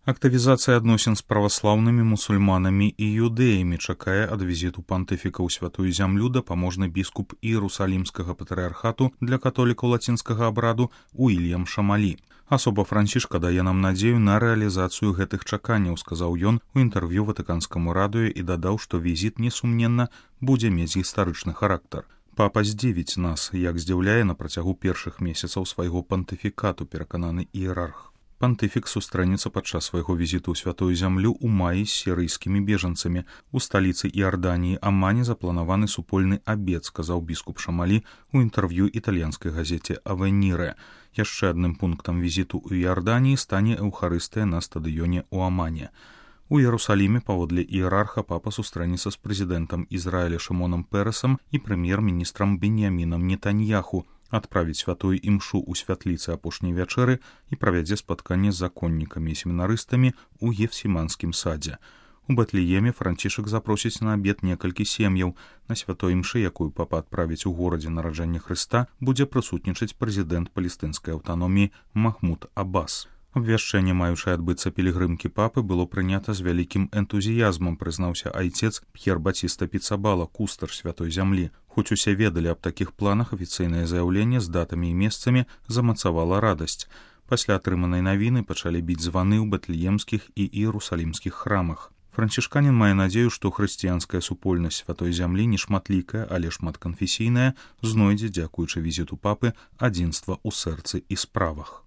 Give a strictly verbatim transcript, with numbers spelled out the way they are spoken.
Актывізацыя адносін з праваслаўнымі мусульманамі і юдэямі чакае ад візіту пантыфіка ў святую зямлю дапаможны біскуп Іерусалімскага патрыархату для католікаў лацінскага абраду Уільям Шамалі. Асоба Францішка дае нам надзею на рэалізацыю гэтых чаканняў, сказаў ён у інтэрв'ю ватыканскаму радыё і дадаў, што візіт, несумненна, будзе мець гістарычны характар. Папа здзівіць нас, як здзіўляе на працягу першых месяцаў свайго пантыфікату, перакананы іерарх. Пантыфік сустрэнецца падчас свайго візіту ў святую зямлю ў маі з сірыйскімі бежанцамі. У сталіцы Іарданіі Амане запланаваны супольны абед, сказаў біскуп Шамалі у інтэрв'ю італьянскай газеце «Авеніре». Яшчэ адным пунктам візіту ў Іарданіі стане эўхарыстыя на стадыёне ў Амане. У Іерусаліме паводле іерарха папа сустрэнецца з прэзідэнтам Ізраіля Шымонам Перасам і прэм'ер-міністрам Беньямінам Нетаньяху, адправіць святую імшу ў святліцы апошняй вячэры і правядзе спатканне з законнікамі і семінарыстамі ў Гефсіманскім садзе. У Бэтлееме Францішак запросіць на абед некалькі сем'яў. На святой імшы, якую папа адправіць у горадзе нараджэння Хрыста, будзе прысутнічаць прэзідэнт палестынскай аўтаноміі Махмуд Аббас. Абвяшчэнне, маючае адбыцца пілігрымкі папы, было прынята з вялікім энтузіязмам, прызнаўся айцец П'ер Баціста Піцабала, кустар святой зямлі. Хоць усе ведалі аб такіх планах, афіцыйнае заяўленне з датамі і месцамі замацавала радасць. Пасля атрыманай навіны пачалі біць званы ў бэтлеемскіх і іерусалімскіх храмах. Францішканін мае надзею, што хрысціянская супольнасць святой зямлі не шматлікая, але шматканфесійная, знойдзе, дзякуючы візіту папы, адзінства ў сэрцы і справах.